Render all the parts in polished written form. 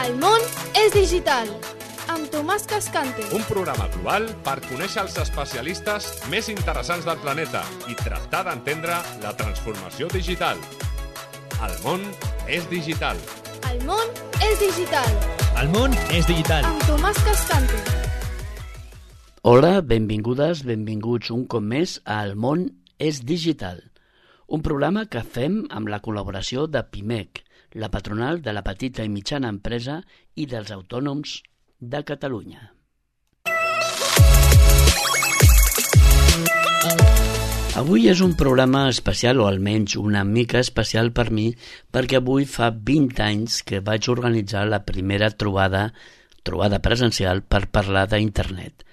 El món és digital, amb Tomàs Cascante. Un programa global per conèixer els especialistes més interessants del planeta i tractar d'entendre la transformació digital. El món és digital. El món és digital. El món és digital. Amb Tomàs Cascante. Hola, benvingudes, benvinguts un cop més a El món és digital, un programa que fem amb la col·laboració de PIMEC, la patronal de la petita i mitjana empresa i dels autònoms de Catalunya. Avui és un programa especial, o almenys una mica especial per mi, perquè avui fa 20 anys que vaig organitzar la primera trobada presencial per parlar d'internet.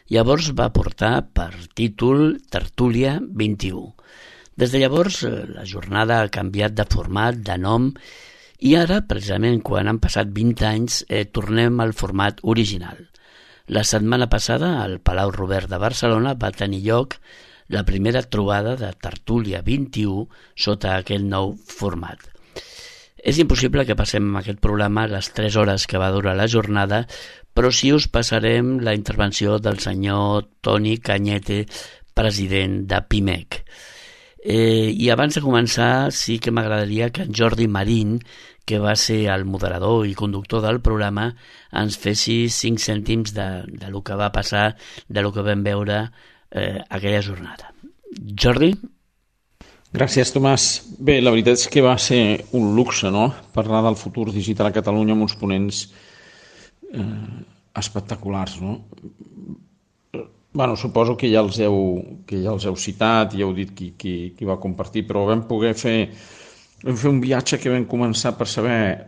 Llavors va portar per títol Tertúlia 21. Des de llavors la jornada ha canviat de format, de nom, i ara, precisament quan han passat 20 anys, tornem al format original. La setmana passada, al Palau Robert de Barcelona, va tenir lloc la primera trobada de Tertúlia 21 sota aquest nou format. És impossible que passem aquest programa les 3 hores que va durar la jornada, però sí us passarem la intervenció del senyor Toni Cañete, president de PIMEC. I abans de començar, sí que m'agradaria que en Jordi Marín, que va ser el moderador i conductor del programa, ens fessi 5 cèntims de lo que va passar, de lo que vam veure aquella jornada. Jordi? Gràcies, Tomàs. Bé, la veritat és que va ser un luxe, no?, parlar del futur digital a Catalunya amb uns ponents espectaculars, no? Bueno, suposo que ja els heu citat i heu dit qui va compartir, però vam fer un viatge que vam començar per saber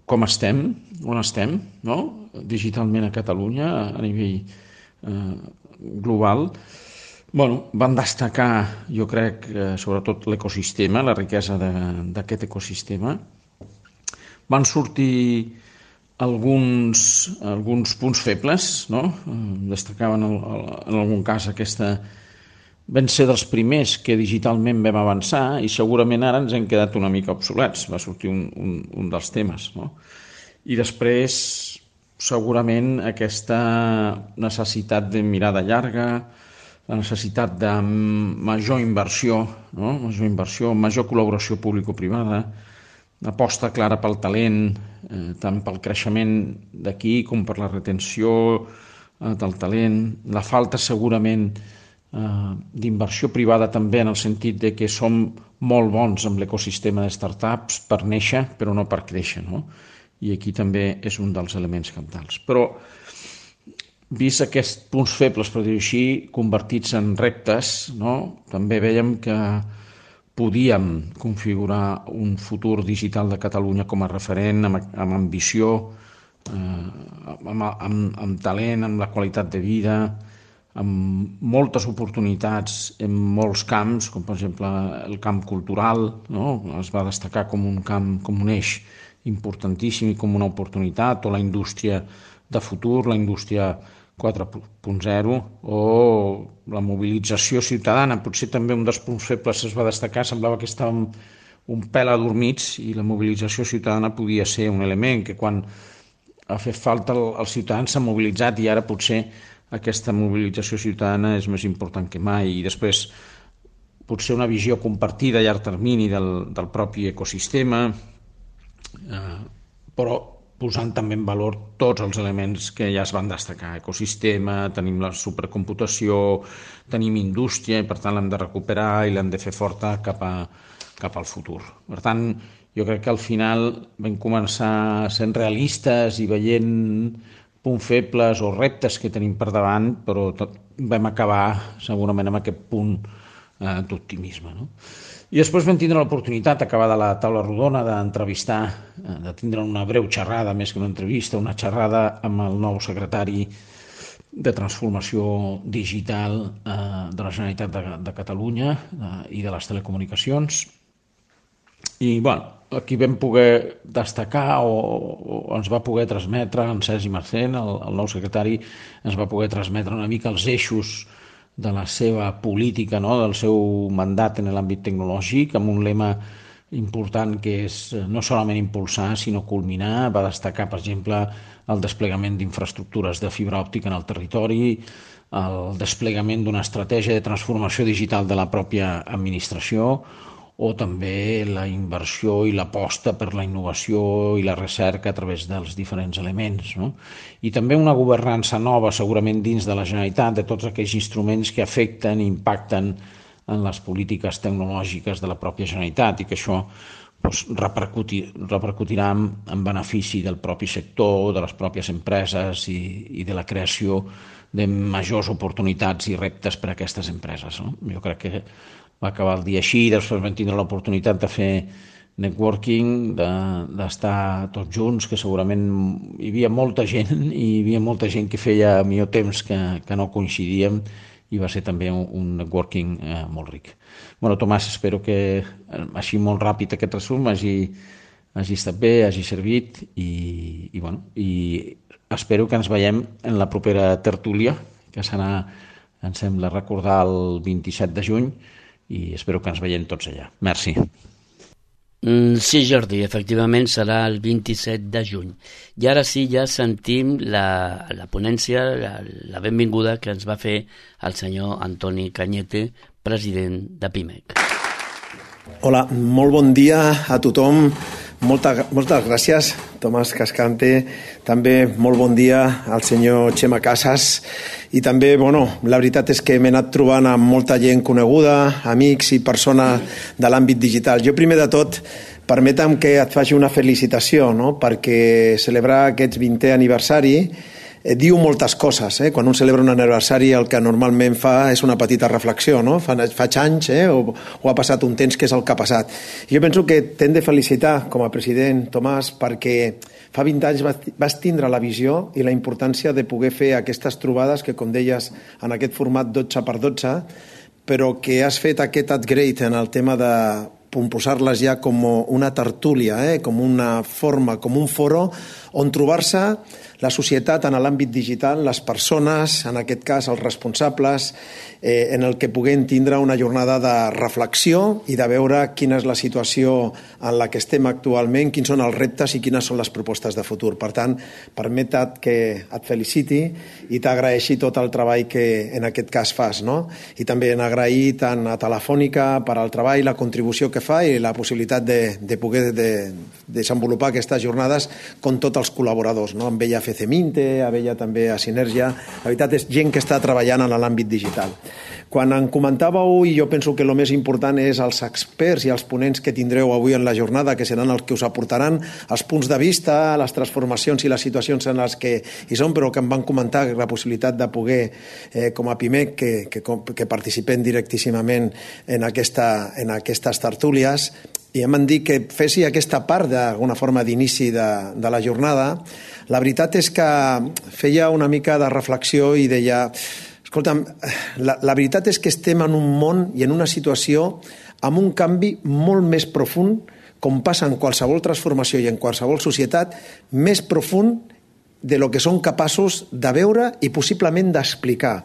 com estem, on estem, no?, digitalment a Catalunya, a nivell global. Bueno, van destacar, jo crec, sobretot l'ecosistema, la riquesa d'aquest ecosistema. Van sortir alguns punts febles, no? Destacaven en algun cas aquesta... Vam ser dels primers que digitalment vam avançar i segurament ara ens hem quedat una mica obsolets. Va sortir un dels temes, no? I després, segurament, aquesta necessitat de mirada llarga, la necessitat de major inversió, no? Major col·laboració público-privada, aposta clara pel talent, tant pel creixement d'aquí com per la retenció del talent, la falta segurament d'inversió privada també en el sentit de que som molt bons amb l'ecosistema de startups per néixer però no per créixer, no? I aquí també és un dels elements cabdals. Però vist aquests punts febles, per dir-ho així, convertits en reptes, no?, també vèiem que podíem configurar un futur digital de Catalunya com a referent, amb ambició, amb talent, amb la qualitat de vida, amb moltes oportunitats en molts camps, com per exemple el camp cultural, no?, es va destacar com un camp, com un eix importantíssim i com una oportunitat, o la indústria de futur, la indústria 4.0, o la mobilització ciutadana. Potser també un dels punts febles es va destacar, semblava que estàvem un pèl adormits i la mobilització ciutadana podia ser un element que quan ha fet falta els ciutadans s'han mobilitzat i ara potser aquesta mobilització ciutadana és més important que mai. I després potser una visió compartida a llarg termini del propi ecosistema, però posant també en valor tots els elements que ja es van destacar. Ecosistema, tenim la supercomputació, tenim indústria i per tant l'hem de recuperar i l'hem de fer forta cap al futur. Per tant, jo crec que al final vam començar sent realistes i veient punts febles o reptes que tenim per davant, però vam acabar segurament amb aquest punt d'optimisme, no? I després vam tindre l'oportunitat, acabada la taula rodona, d'entrevistar, de tindre una breu xerrada, més que una entrevista, una xerrada amb el nou secretari de Transformació Digital de la Generalitat de Catalunya i de les Telecomunicacions. I, aquí vam poder destacar o ens va poder transmetre, en Sergi Marcén, el nou secretari, ens va poder transmetre una mica els eixos de la seva política, no?, del seu mandat en l'àmbit tecnològic, amb un lema important que és no solament impulsar, sinó culminar. Va destacar, per exemple, el desplegament d'infraestructures de fibra òptica en el territori, el desplegament d'una estratègia de transformació digital de la pròpia administració, o també la inversió i l'aposta per la innovació i la recerca a través dels diferents elements, no? I també una governança nova, segurament dins de la Generalitat, de tots aquells instruments que afecten i impacten en les polítiques tecnològiques de la pròpia Generalitat i que això repercutirà en benefici del propi sector, de les pròpies empreses i de la creació de majors oportunitats i reptes per a aquestes empreses, no? Jo crec que va acabar el dia així, després vam tindre l'oportunitat de fer networking, d'estar tots junts, que segurament hi havia molta gent i hi havia molta gent que feia millor temps que no coincidíem i va ser també un networking molt ric. Bueno, Tomàs, espero que així molt ràpid aquest resum hagi estat bé, hagi servit i espero que ens veiem en la propera tertúlia, que serà, em sembla recordar, el 27 de juny, i espero que ens veiem tots allà. Merci. Sí, Jordi, efectivament serà el 27 de juny. I ara sí, ja sentim la ponència, la benvinguda que ens va fer el senyor Antoni Cañete, president de PIMEC. Hola, molt bon dia a tothom. Moltes gràcies, Tomàs Cascante. També molt bon dia al senyor Xema Casas. I també, la veritat és que m'he anat trobant amb molta gent coneguda, amics i persones de l'àmbit digital. Jo, primer de tot, permetem que et faci una felicitació, no? Perquè celebrar aquest 20è aniversari diu moltes coses. Quan un celebra un aniversari el que normalment fa és una petita reflexió, no? Faig anys o ha passat un temps que és el que ha passat. Jo penso que t'hem de felicitar com a president, Tomàs, perquè fa 20 anys vas tindre la visió i la importància de poder fer aquestes trobades que, com deies, en aquest format 12x12, però que has fet aquest upgrade en el tema de posar-les ja com una tertúlia, com una forma, com un foro on trobar-se la societat en l'àmbit digital, les persones, en aquest cas els responsables, en el que puguem tindre una jornada de reflexió i de veure quina és la situació en la que estem actualment, quins són els reptes i quines són les propostes de futur. Per tant, permeta't que et feliciti i t'agraeixi tot el treball que en aquest cas fas, no? I també agrair tant a Telefònica per al treball, la contribució que fa i la possibilitat de poder desenvolupar aquestes jornades com tots els col·laboradors, no? Amb ella FCMINTE, amb ella també a Sinergia. La veritat és gent que està treballant en l'àmbit digital. Quan em comentàveu, i jo penso que el més important és els experts i els ponents que tindreu avui en la jornada, que seran els que us aportaran els punts de vista, les transformacions i les situacions en les que hi són, però que em van comentar la possibilitat de poder, com a PIMEC, que participem directíssimament en aquestes tertúlies, i em van dir que fessi aquesta part d'alguna forma d'inici de la jornada. La veritat és que feia una mica de reflexió i deia: escolta'm, la veritat és que estem en un món i en una situació amb un canvi molt més profund, com passa en qualsevol transformació i en qualsevol societat, més profund de lo que són capaços de veure i possiblement d'explicar.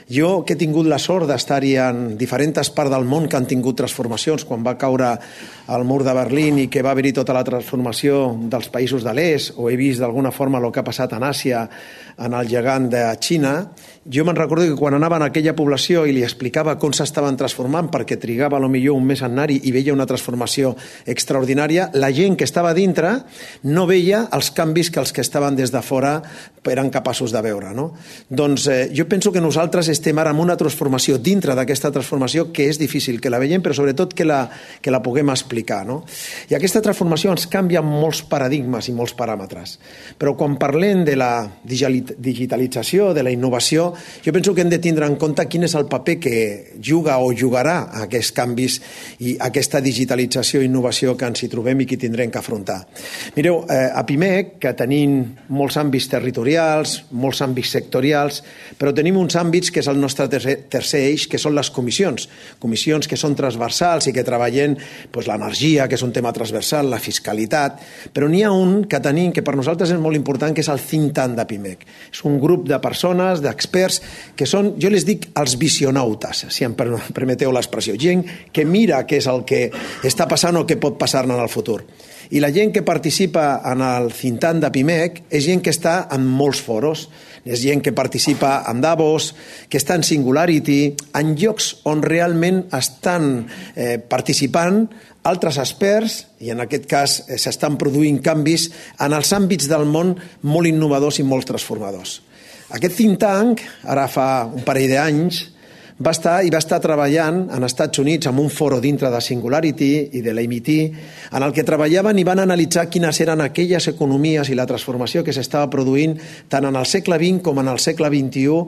Jo, que he tingut la sort d'estar-hi en diferents parts del món que han tingut transformacions, quan va caure el mur de Berlín i que va haver-hi tota la transformació dels països de l'est, o he vist d'alguna forma el que ha passat en Àsia, en el gegant de Xina, jo me'n recordo que quan anava en aquella població i li explicava com s'estaven transformant, perquè trigava potser un mes a anar-hi i veia una transformació extraordinària, la gent que estava dintre no veia els canvis que els que estaven des de fora eren capaços de veure, no? Doncs jo penso que nosaltres estem ara en una transformació dintre d'aquesta transformació que és difícil que la veiem, però sobretot que la puguem explicar, no? I aquesta transformació ens canvia molts paradigmes i molts paràmetres. Però quan parlem de la digitalització, de la innovació, jo penso que hem de tindre en compte quin és el paper que juga o jugarà aquests canvis i aquesta digitalització i innovació que ens hi trobem i que tindrem que afrontar. Mireu, a PIMEC, que tenim molts àmbits territorials, molts àmbits sectorials, però tenim uns àmbits que és el nostre tercer eix, que són les comissions que són transversals i que treballen l'energia, que és un tema transversal, la fiscalitat, però n'hi ha un que tenim que per nosaltres és molt important, que és el think tank de PIMEC. És un grup de persones, d'experts, experts que són, jo les dic, els visionautes, si em permeteu l'expressió, gent que mira què és el que està passant o què pot passar en el futur. I la gent que participa en el think tank de PIMEC és gent que està en molts foros, és gent que participa en Davos, que està en Singularity, en llocs on realment estan participant altres experts, i en aquest cas s'estan produint canvis en els àmbits del món molt innovadors i molt transformadors. Aquest think tank, ara fa un parell d'anys, va estar treballant als Estats Units en un foro dintre de Singularity i de l'MIT, en el que treballaven i van analitzar quines eren aquelles economies i la transformació que s'estava produint tant en el segle XX com en el segle XXI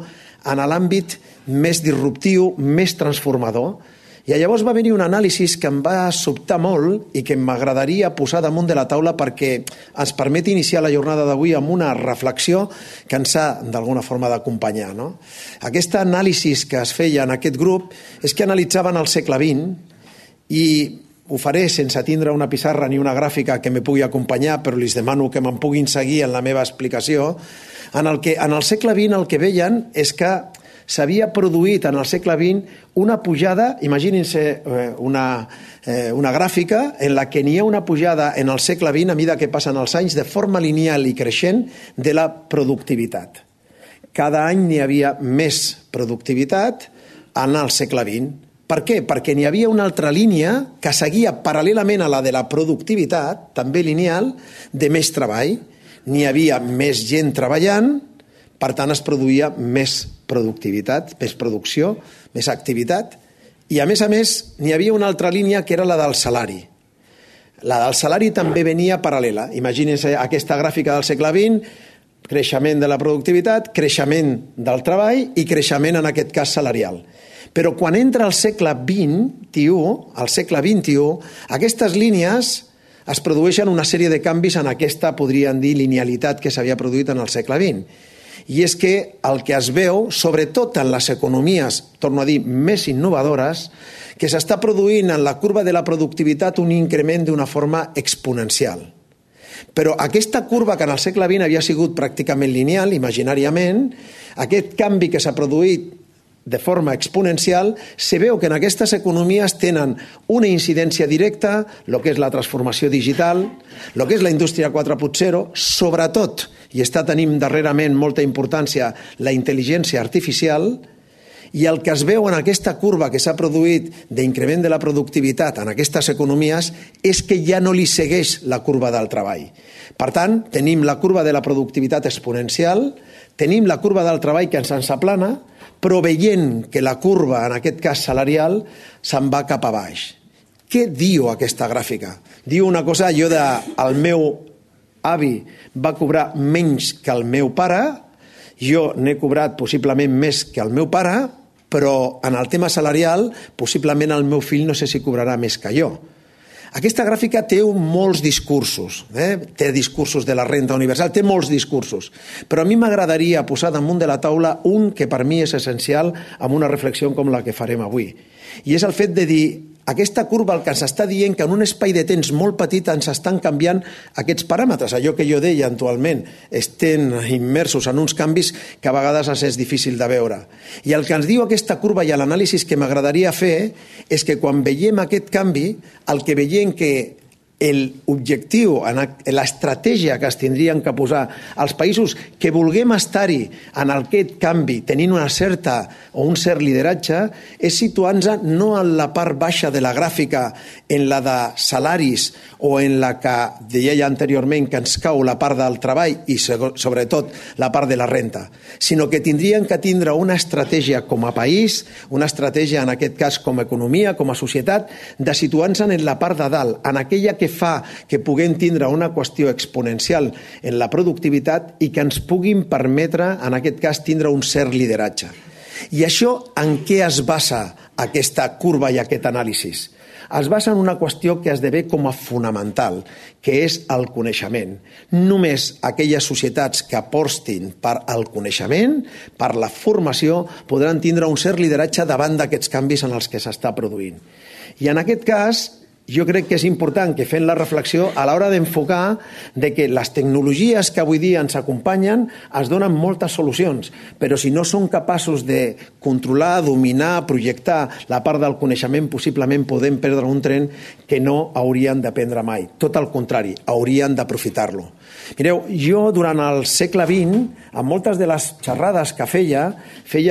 en l'àmbit més disruptiu, més transformador. I llavors va venir un anàlisi que em va sobtar molt i que m'agradaria posar damunt de la taula perquè ens permet iniciar la jornada d'avui amb una reflexió que ens ha d'alguna forma d'acompanyar. Aquest anàlisi que es feia en aquest grup és que analitzaven el segle XX i ho faré sense tindre una pissarra ni una gràfica que me pugui acompanyar, però els demano que me'n puguin seguir en la meva explicació, en el segle XX el que veien és que s'havia produït en el segle XX una pujada, imaginin-se una gràfica en la que n'hi ha una pujada en el segle XX a mesura que passen els anys de forma lineal i creixent de la productivitat. Cada any n'hi havia més productivitat en el segle XX. Per què? Perquè n'hi havia una altra línia que seguia paral·lelament a la de la productivitat, també lineal, de més treball. N'hi havia més gent treballant, per tant es produïa més productivitat, més producció, més activitat, i a més n'hi havia una altra línia que era la del salari. La del salari també venia paral·lela. Imagínense aquesta gràfica del segle XX, creixement de la productivitat, creixement del treball i creixement en aquest cas salarial. Però quan entra al segle XXI, aquestes línies es produeixen una sèrie de canvis en aquesta, podríem dir, linealitat que s'havia produït en el segle XX. I és que el que es veu, sobretot en les economies, torno a dir, més innovadores, que s'està produint en la curva de la productivitat un increment d'una forma exponencial. Però aquesta curva que en el segle XX havia sigut pràcticament lineal, imaginàriament, aquest canvi que s'ha produït de forma exponencial, se veu que en aquestes economies tenen una incidència directa, el que és la transformació digital, el que és la indústria 4.0, sobretot, i està tenint darrerament molta importància, la intel·ligència artificial, i el que es veu en aquesta curva que s'ha produït d'increment de la productivitat en aquestes economies és que ja no li segueix la curva del treball. Per tant, tenim la curva de la productivitat exponencial, tenim la curva del treball que ens aplana, però veient que la curva, en aquest cas salarial, se'n va cap a baix. Què diu aquesta gràfica? Diu una cosa, el meu avi va cobrar menys que el meu pare, jo n'he cobrat possiblement més que el meu pare, però en el tema salarial possiblement el meu fill no sé si cobrarà més que jo. Aquesta gràfica té molts discursos, té discursos de la renda universal, té molts discursos, però a mi m'agradaria posar damunt de la taula un que per mi és essencial amb una reflexió com la que farem avui. I és el fet de dir, aquesta curva el que ens està dient que en un espai de temps molt petit ens estan canviant aquests paràmetres, allò que jo deia actualment, estem immersos en uns canvis que a vegades ens és difícil de veure. I el que ens diu aquesta curva i l'anàlisi que m'agradaria fer és que quan veiem aquest canvi, el que veiem que l'objectiu, l'estratègia que es tindrien que posar als països que vulguem estar-hi en aquest canvi, tenint una certa o un cert lideratge, és situar-nos no en la part baixa de la gràfica, en la de salaris o en la que deia anteriorment que ens cau la part del treball i sobretot la part de la renta, sinó que tindrien que tindre una estratègia com a país, una estratègia en aquest cas com a economia, com a societat, de situar-nos en la part de dalt, en aquella que fa que puguem tindre una qüestió exponencial en la productivitat i que ens puguin permetre, en aquest cas, tindre un cert lideratge. I això en què es basa aquesta curva i aquest anàlisi? Es basa en una qüestió que esdevé com a fonamental, que és el coneixement. Només aquelles societats que apostin per al coneixement, per la formació, podran tindre un cert lideratge davant d'aquests canvis en els que s'està produint. I en aquest cas, jo crec que és important que fem la reflexió a l'hora d'enfocar de que les tecnologies que avui dia ens acompanyen es donen moltes solucions, però si no som capaços de controlar, dominar, projectar la part del coneixement, possiblement podem perdre un tren que no haurien d'aprendre mai. Tot el contrari, haurien d'aprofitar-lo. Mireu, jo durant el segle XX, en moltes de les xerrades que feia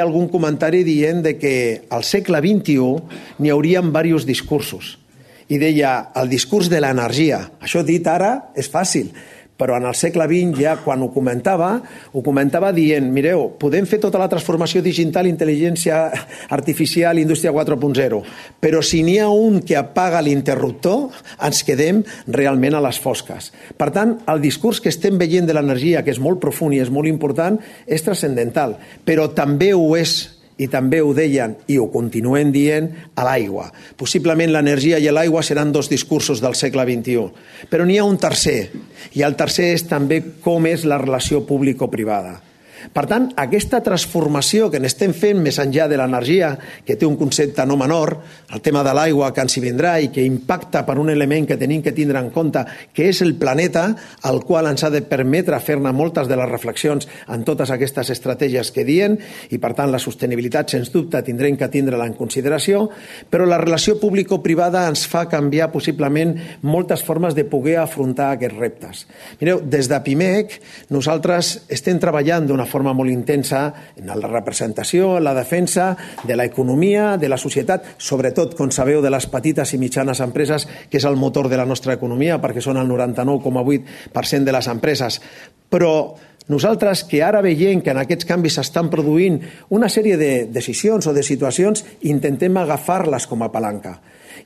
algun comentari dient de que al segle XXI n'hi haurien diversos discursos. I deia, el discurs de l'energia. Això dit ara és fàcil, però en el segle XX ja quan ho comentava dient, mireu, podem fer tota la transformació digital, intel·ligència artificial, indústria 4.0, però si n'hi ha un que apaga l'interruptor, ens quedem realment a les fosques. Per tant, el discurs que estem veient de l'energia, que és molt profund i és molt important, és transcendental, però també ho és, i també ho deien i ho continuen dient, a l'aigua. Possiblement l'energia i l'aigua seran dos discursos del segle XXI. Però n'hi ha un tercer, i el tercer és també com és la relació público-privada. Per tant, aquesta transformació que n'estem fent més enllà de l'energia, que té un concepte no menor, el tema de l'aigua que ens hi vindrà i que impacta per un element que tenim que tindre en compte, que és el planeta, el qual ens ha de permetre fer-ne moltes de les reflexions en totes aquestes estratègies que diem, i per tant la sostenibilitat, sens dubte, tindrem que tindre-la en consideració, però la relació público-privada ens fa canviar possiblement moltes formes de poder afrontar aquests reptes. Mireu, des de PIMEC nosaltres estem treballant d'una forma molt intensa en la representació, en la defensa de l'economia, de la societat, sobretot, com sabeu, de les petites i mitjanes empreses, que és el motor de la nostra economia, perquè són el 99,8% de les empreses. Però nosaltres, que ara veiem que en aquests canvis s'estan produint una sèrie de decisions o de situacions, intentem agafar-les com a palanca.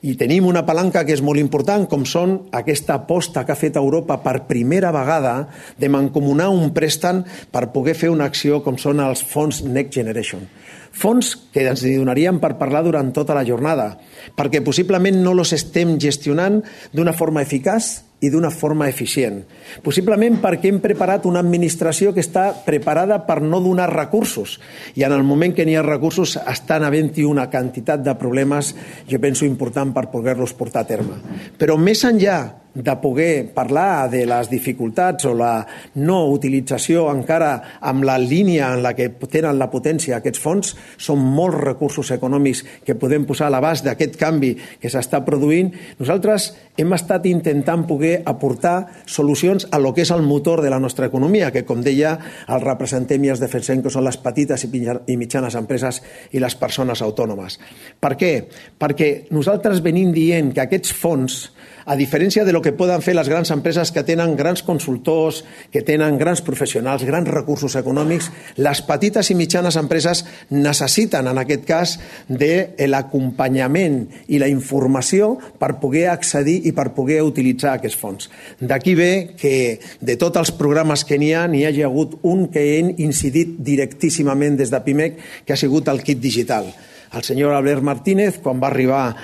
I tenim una palanca que és molt important, com són aquesta aposta que ha fet Europa per primera vegada de mancomunar un préstec per poder fer una acció com són els fons Next Generation. Fons que ens donarien per parlar durant tota la jornada, perquè possiblement no els estem gestionant d'una forma eficaç i d'una forma eficient. Possiblement perquè hem preparat una administració que està preparada per no donar recursos, i en el moment que n'hi ha recursos estan havent-hi una quantitat de problemes, jo penso, important per poder-los portar a terme. Però més enllà de poder parlar de les dificultats o la no utilització encara amb la línia en la que tenen la potència aquests fons, són molts recursos econòmics que podem posar a l'abast d'aquest canvi que s'està produint. Nosaltres hem estat intentant poder aportar solucions a lo que és el motor de la nostra economia, que, com deia, el representem i els defensem, que són les petites i mitjanes empreses i les persones autònomes. Per què? Perquè nosaltres venim dient que aquests fons, a diferència de lo que poden fer les grans empreses que tenen grans consultors, que tenen grans professionals, grans recursos econòmics, les petites i mitjanes empreses necessiten, en aquest cas, de l'acompanyament i la informació per poder accedir i per poder utilitzar aquests fons. D'aquí ve que de tots els programes que n'hi hagi hagut un que hem incidit directíssimament des de PIMEC, que ha sigut el kit digital. El senyor Albert Martínez, quan va arribar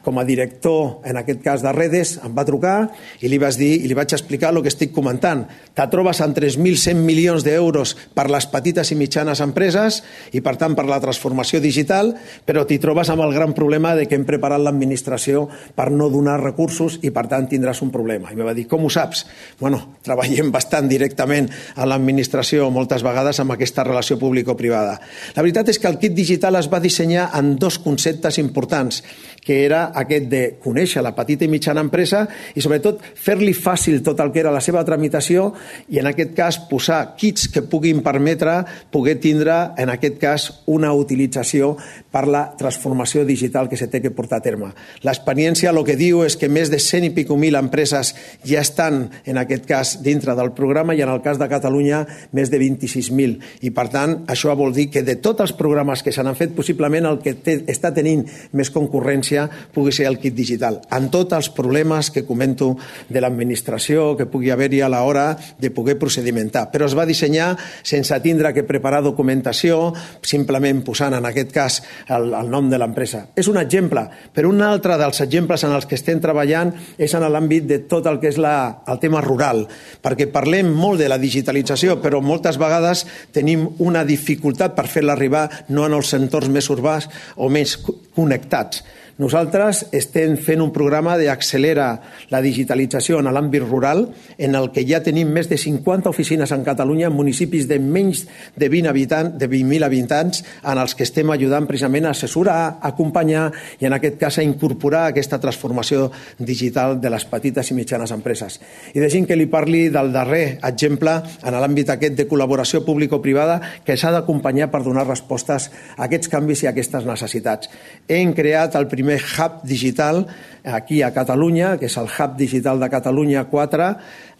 com a director, en aquest cas de Redes, em va trucar i li vaig dir i li vaig explicar el que estic comentant. Te trobes amb 3.100 milions d'euros per les petites i mitjanes empreses i, per tant, per la transformació digital, però t'hi trobes amb el gran problema de que hem preparat l'administració per no donar recursos i, per tant, tindràs un problema. I em va dir, com ho saps? Bueno, treballem bastant directament a l'administració moltes vegades amb aquesta relació público-privada. La veritat és que el kit digital es va dissenyar en dos conceptes importants, que era aquest de conèixer la petita i mitjana empresa i, sobretot, fer-li fàcil tot el que era la seva tramitació i, en aquest cas, posar kits que puguin permetre poder tindre, en aquest cas, una utilització per la transformació digital que se té que portar a terme. L'experiència el que diu és que més de 100 i pico mil empreses ja estan, en aquest cas, dintre del programa i, en el cas de Catalunya, més de 26.000. I, per tant, això vol dir que de tots els programes que s'han fet, possiblement el que està tenint més concurrència pugui ser el kit digital, amb tots els problemes que comento de l'administració que pugui haver-hi a l'hora de poder procedimentar. Però es va dissenyar sense tindre que preparar documentació, simplement posant en aquest cas el nom de l'empresa. És un exemple, però un altre dels exemples en els que estem treballant és en l'àmbit de tot el que és el tema rural, perquè parlem molt de la digitalització, però moltes vegades tenim una dificultat per fer-la arribar no en els entorns més urbans o més connectats. Nosaltres estem fent un programa d'accelera la digitalització en l'àmbit rural, en el que ja tenim més de 50 oficines en Catalunya en municipis de menys de 20.000 habitants, en els que estem ajudant precisament a assessorar, a acompanyar i en aquest cas a incorporar aquesta transformació digital de les petites i mitjanes empreses. I deixin que li parli del darrer exemple en l'àmbit aquest de col·laboració público-privada que s'ha d'acompanyar per donar respostes a aquests canvis i a aquestes necessitats. Hem creat el primer hub digital aquí a Catalunya, que és el Hub Digital de Catalunya 4,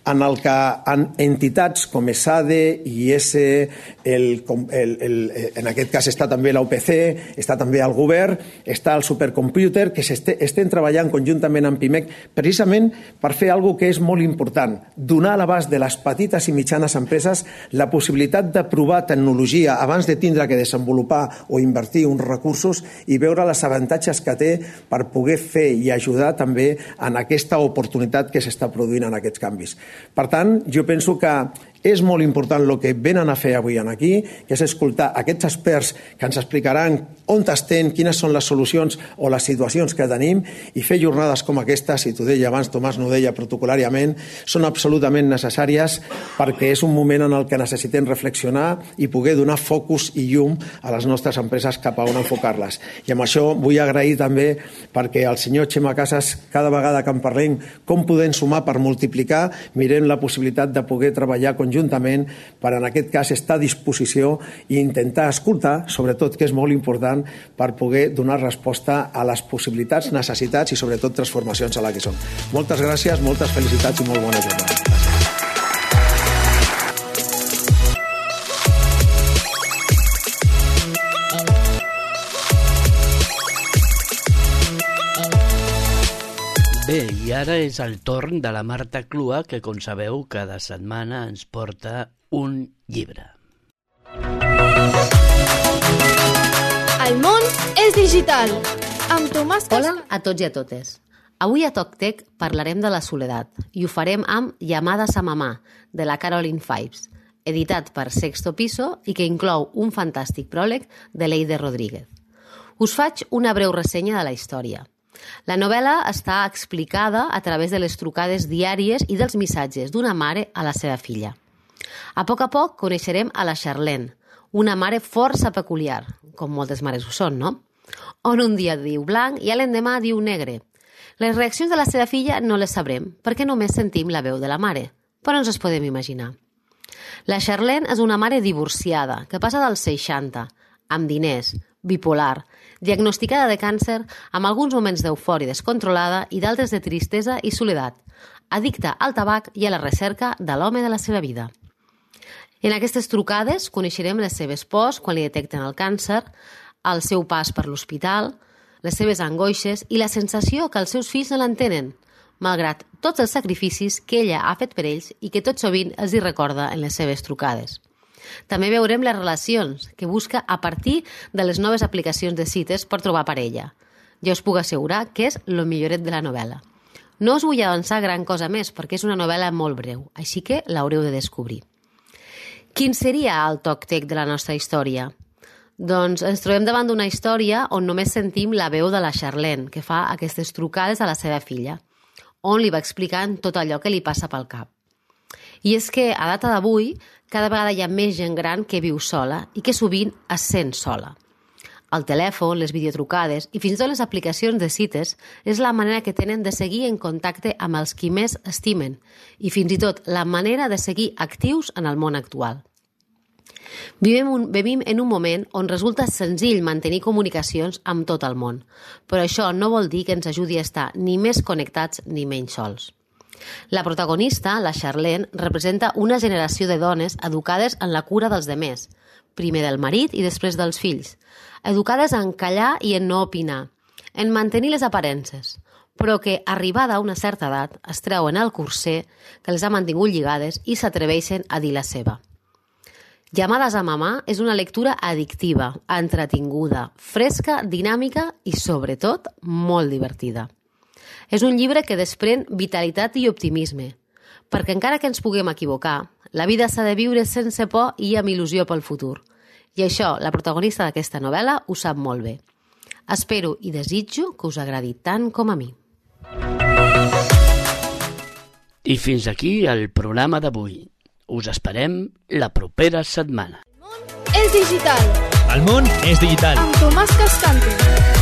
en el que entitats com ESADE, IES, en aquest cas està també l'OPC, està també el govern, està el supercomputer, que estem treballant conjuntament amb PIMEC precisament per fer alguna cosa que és molt important, donar a l'abast de les petites i mitjanes empreses la possibilitat de provar tecnologia abans de tindre que desenvolupar o invertir uns recursos i veure els avantatges que té per poder fer i ajudar també en aquesta oportunitat que s'està produint en aquests canvis. Per tant, jo penso que és molt important el que venen a fer avui aquí, que és escoltar aquests experts que ens explicaran on estem, quines són les solucions o les situacions que tenim, i fer jornades com aquestes, i t'ho deia abans, Tomàs no ho deia protocolàriament, són absolutament necessàries perquè és un moment en el que necessitem reflexionar i poder donar focus i llum a les nostres empreses cap a on enfocar-les. I amb això vull agrair també perquè el senyor Xema Casas, cada vegada que en parlem com podem sumar per multiplicar, mirem la possibilitat de poder treballar conjuntament per, en aquest cas, estar a disposició i intentar escoltar, sobretot, que és molt important, per poder donar resposta a les possibilitats, necessitats i, sobretot, transformacions a la que són. Moltes gràcies, moltes felicitats i molt bona jornada. Bé, i ara és el torn de la Marta Clua, que, com sabeu, cada setmana ens porta un llibre. El món és digital, amb Tomàs Cascante. Hola a tots i a totes. Avui a TocTec parlarem de la soledat i ho farem amb Llamadas a mamà, de la Caroline Fives, editat per Sexto Piso i que inclou un fantàstic pròleg de Leide Rodríguez. Us faig una breu ressenya de la història. La novel·la està explicada a través de les trucades diàries i dels missatges d'una mare a la seva filla. A poc coneixerem a la Charlene, una mare força peculiar, com moltes mares ho són, no? On un dia diu blanc i l'endemà diu negre. Les reaccions de la seva filla no les sabrem, perquè només sentim la veu de la mare, però ens podem imaginar. La Charlene és una mare divorciada, que passa dels 60, amb diners, bipolar, diagnosticada de càncer, amb alguns moments d'eufòria descontrolada i d'altres de tristesa i soledat, addicta al tabac i a la recerca de l'home de la seva vida. En aquestes trucades coneixerem les seves pors quan li detecten el càncer, el seu pas per l'hospital, les seves angoixes i la sensació que els seus fills no l'entenen, malgrat tots els sacrificis que ella ha fet per ells i que tot sovint els hi recorda en les seves trucades. També veurem les relacions que busca a partir de les noves aplicacions de cites per trobar parella. Ja us puc assegurar que és lo milloret de la novel·la. No us vull avançar gran cosa més perquè és una novel·la molt breu, així que l'haureu de descobrir. Quin seria el TocTec de la nostra història? Doncs ens trobem davant d'una història on només sentim la veu de la Charlene, que fa aquestes trucades a la seva filla, on li va explicant tot allò que li passa pel cap. I és que, a data d'avui, cada vegada hi ha més gent gran que viu sola i que sovint es sent sola. El telèfon, les videotrucades i fins i tot les aplicacions de cites és la manera que tenen de seguir en contacte amb els qui més estimen i fins i tot la manera de seguir actius en el món actual. Vivim en un moment on resulta senzill mantenir comunicacions amb tot el món, però això no vol dir que ens ajudi a estar ni més connectats ni menys sols. La protagonista, la Charlene, representa una generació de dones educades en la cura dels demés, primer del marit i després dels fills, educades en callar i en no opinar, en mantenir les aparences, però que, arribada a una certa edat, es treuen el corser que les ha mantingut lligades i s'atreveixen a dir la seva. Llamadas a mamà és una lectura addictiva, entretinguda, fresca, dinàmica i, sobretot, molt divertida. És un llibre que desprèn vitalitat i optimisme, perquè encara que ens puguem equivocar, la vida s'ha de viure sense por i amb il·lusió pel futur. I això, la protagonista d'aquesta novel·la ho sap molt bé. Espero i desitjo que us agradi tant com a mi. I fins aquí el programa d'avui. Us esperem la propera setmana. És digital. El món és digital. Amb Tomàs Cascante.